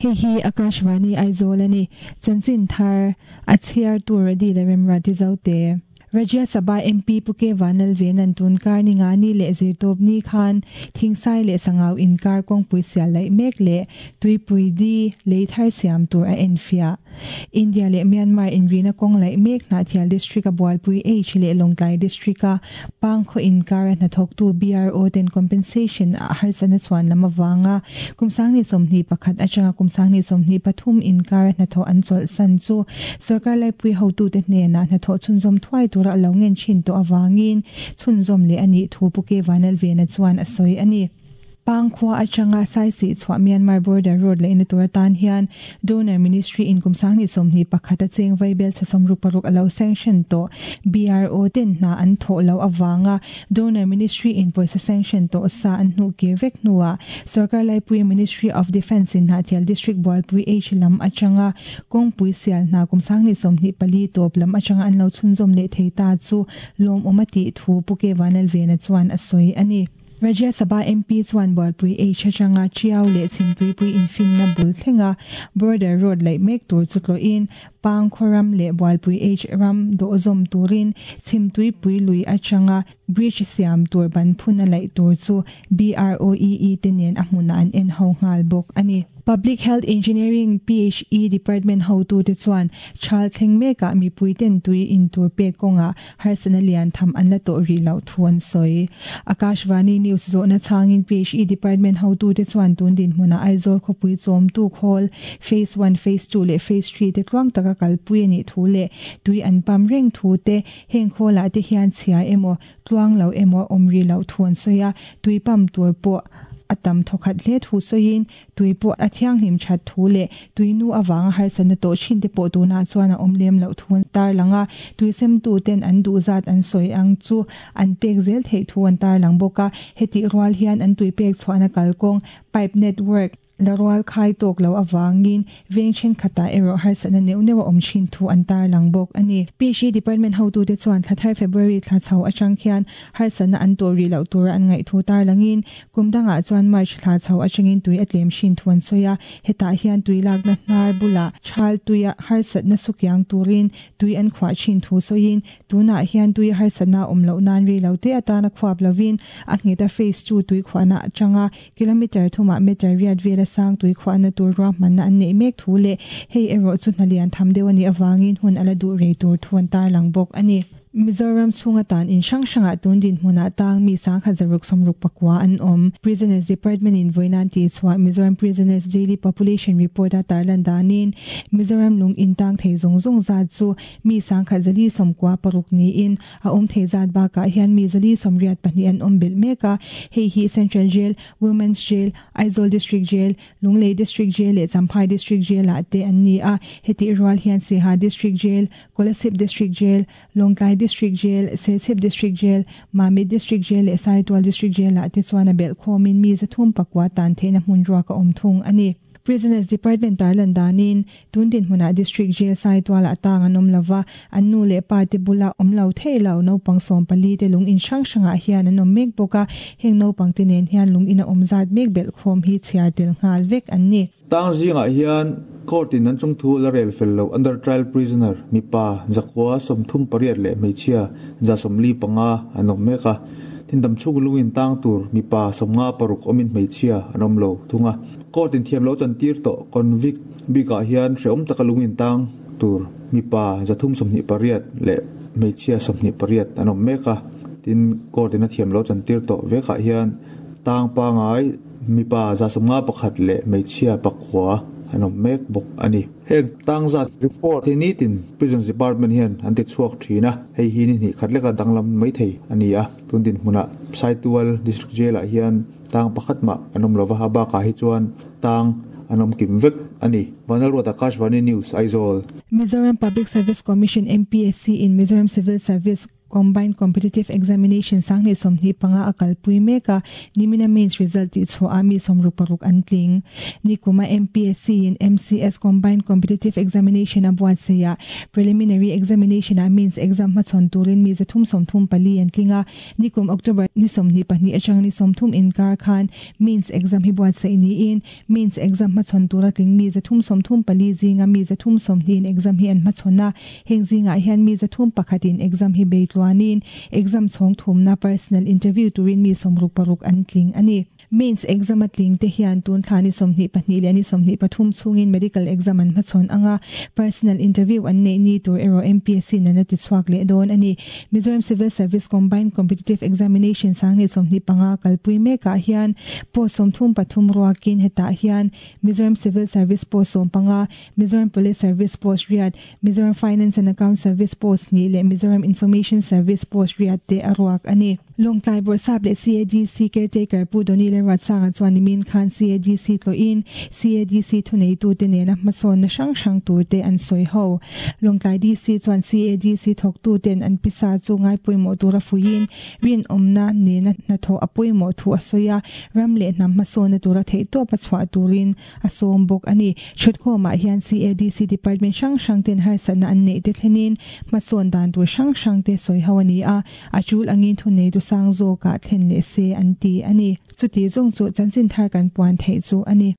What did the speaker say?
Hei hi Akashvani Aizawl a ni. Chanchin thar a chhiartu Radi leh Remruati Zote. Rajya Sabha MP Pu K Vanlalvena'n tun kar ni nga ni leh zirtawp ni khan Thingsai leh Sangau inkar kawngpui sial laih mek leh Tuipui di lei thar siam tur a enfiah. India leh Myanmar inrina kawng laih mek Hnahthial District-a Bualpui H leh Lawngtlai District-a Pangkhaw inkara hnathawktu BRO ten compensation a harsatna chhuan lam avanga kum 2021 atanga kum 2023 inkara hnathawh an chawlhsan chu sorkar laipui hotute hnenah hnathawh chhunzawm thuai tura a lo ngen thin tawh avangin chhunzawm leh a nih thu Pu K Vanlalvena chuan a sawi a ni. Pangkhua atanga Saisih chhuah Myanmar border road laihna tur atan hian Donor Ministry in kum 2021 a cheng vaibel chhe 66 a lo sanction tawh BRO ten hna an thawh loh avanga Donor Ministry in pawisa sanction tawh sa an hnuh kir vek hnuah Sorkar Laipui Ministry of Defence in Hnahthial District Bualpui H lam atanga kawngpui sial hna kum 2024 tawp lam atanga an lo chhunzawm leh thei ta chu lawmawm a tih thu Pu K Vanlalvena chuan a sawi a ni. Rajya Sabha MP chuan Bualpui H atanga Tiau leh Chhimtuipui infinna bul thlenga Border Road laih mek tur chu tlawhin Pangkhaw ram leh Bualpui H ram dawhzawm turin Chhimtuipui lui atanga Bridge siam tur ban phun a laih tur chu BROEE te nen a hmunah an en ho nghal bawk a ni. Public Health Engineering, PHE, Department hotute chuan Thal thleng mekah mipui ten tui in tur pek kawngah harsatna lian tham an la tawh rih loh thu an sawi. Akashvani News zawhna chhangin PHE Department hotute chuan tun dinhmunah Aizawl khawpui chawmtu khawl Phase One, Phase Two leh Phase Three te tluang taka kalpui a nih thu leh tui an pam reng thu te heng khawlah te hian chhia emaw tluang lo emaw awm rih loh thu an sawi a, tui pam tur pawh a tam thawkhat hle thu sawiin Tui pawh a thianghlim that thu leh tui nu avanga harsatna tawh thin te pawh tunah chuan a awm lem loh thu an tarlang a, tui semtu ten an duh zat an sawi ang chu an pek zel theih thu an tarlang bawk a, hetih rual hian an tui pek chhuahna kalkawng, pipe network, la rual khai tawk lo avangin veng thenkhatah erawh harsatna neuh neuh a awm thin thu an tarlang bawk a ni. PHE Department hotute chuan thla thar February thla chho atang khian harsatna an tawh rih loh tura an ngaih thu tarlangin Kum dangah chuan March thla chho atangin tui a tlem hrin thu an sawi a, hetah hian tui lakna hnar bulah thal tuia harsatna sukiang turin tui an khuah thin thu sawiin, tunah hian tui harsatna a awm loh nan rei lo te atana khuap lovin a ngheta phase 2 tui khuahna atanga kilometre thumah metre riat vela sang tui khuahna tur ruahmanna an neih mek thu leh hei erawh chu hna lian tham deuh a nih avangin hun a la duh rei tur thu an tarlang bawk a ni. Mizoram chhunga tan in hrang hrangah tun dinhmunah tang mi 1669 an awm. Prisoners Department in vawiin tih chhuah Mizoram Prisoners Daily Population Report a tarlan danin Mizoram lung in tang thei zawng zawng zat chu mi 1096 niin a awm thei zat bakah hian mi 482 an awm belh mek a. Hei hi Central Jail, Women's Jail, Aizawl District Jail, Lunglei District Jail leh Champhai District Jail ah te an ni a. Hetih rual hian Siaha District Jail, Kolasib District Jail, Lawngtlai District Jail, Serchhip District Jail, Mamit District Jail leh Saitual District Jail ah te chuan a belh khawmin mi 309 tan theihna hmun ruak a awm thung a ni. Prisoners Department tarlan danin tun dinhmunah District Jail Saitual ah tang an awm lova, an nu leh pa te bula awm lo thei lo naupang 14 te lung in hrang hrangah hian an awm mek bawk a, heng naupang te nen hian lung in a awm zat mek belh khawm hi chhiar tel nghal vek an ni. Tang zingah hian court in an chungthu la rel fel lo under trial prisoner mipa 138 leh hmeichhia 145 an awm mek a, tin damchhung lungin tang tur mipa 56 awmin hmeichhia an awm lo thung a. Court in thiam lo chantir tawh convict bikah hian hrehawm taka lungin tang tur mipa 328 leh hmeichhia 28 an awm mek a, tin court in a thiam lo chantir tawh vekah hian tang pangai mipa 151 leh hmeichhia 9 an awm mek bawk a ni. Heng tang zat report hi nitin Prisons Department hian an ti chhuak thin a, hei hi ni hnih khat leka danglam mai thei a ni a. Tun dinhmunah Saitual District Jail ah hian tang pakhat mah an awm lova, a bakah hi chuan tang an awm kim vek a ni. Vanlalruat Akashvani News, Aizawl. Mizoram Public Service Commission, MPSC, in Mizoram Civil Service. Combined Competitive Examination 2025 a kalpui mek a, nimina Mains result tihchhuah ah mi 66 an tling. Nikuma MPSC in MCS Combined Competitive Examination a buatsaih ah Preliminary Examination ah Mains exam hmachhawn turin mi 334 an tling a, nikum October ni 22 atang ni 30 inkar khan Mains exam hi buatsaih niin Mains exam hmachhawn tura tling mi 334 zinga mi 320 in exam hi an hmachhawn a, heng zingah hian mi 301 in exam hi bei tluanin exam chhawng thumna personal interview turin mi 66 an tling a ni. Mains exam a tling te hian tun thla ni 22 leh ni 23 chhungin medical exam an hmachhawn ang a, personal interview an neih ni tur erawh MPSC in an a ti chhuak leh dawn a ni. Mizoram Civil Service Combined Competitive Examination 2025 kalpui mekah hian post 33 ruakin hetah hian Mizoram Civil Service post 15, Mizoram Police Service post riat, Mizoram Finance and Account Service post hnih leh Mizoram Information Service post riat te a ruak a ni. Lawngtlai Bawrhsap leh CADC caretaker Pu Donny Lalruatsanga chuan nimin khan CADC tlawhin CADC thuneitute nena hmasawnna hrang hrang turte an sawi ho. Lawngtlai DC chuan CADC thawktuten an pisa chu ngaipawimawh tura fuiin rinawmna nena hnathawh a pawimawh thu a sawi a, ram leh hnam hmasawnna tura theihtawp a chhuah turin a sawm bawk a ni. Thutkhawmah hian CADC department hrang hrang ten harsatna an neih te thlenin hmasawn dan tur hrang hrang te sawi ho a ni a, a tul angin thuneitu sang zawkah thlen leh se an ti a ni. Chuti zawng chu chanchin thar kan puan theih chu a ni.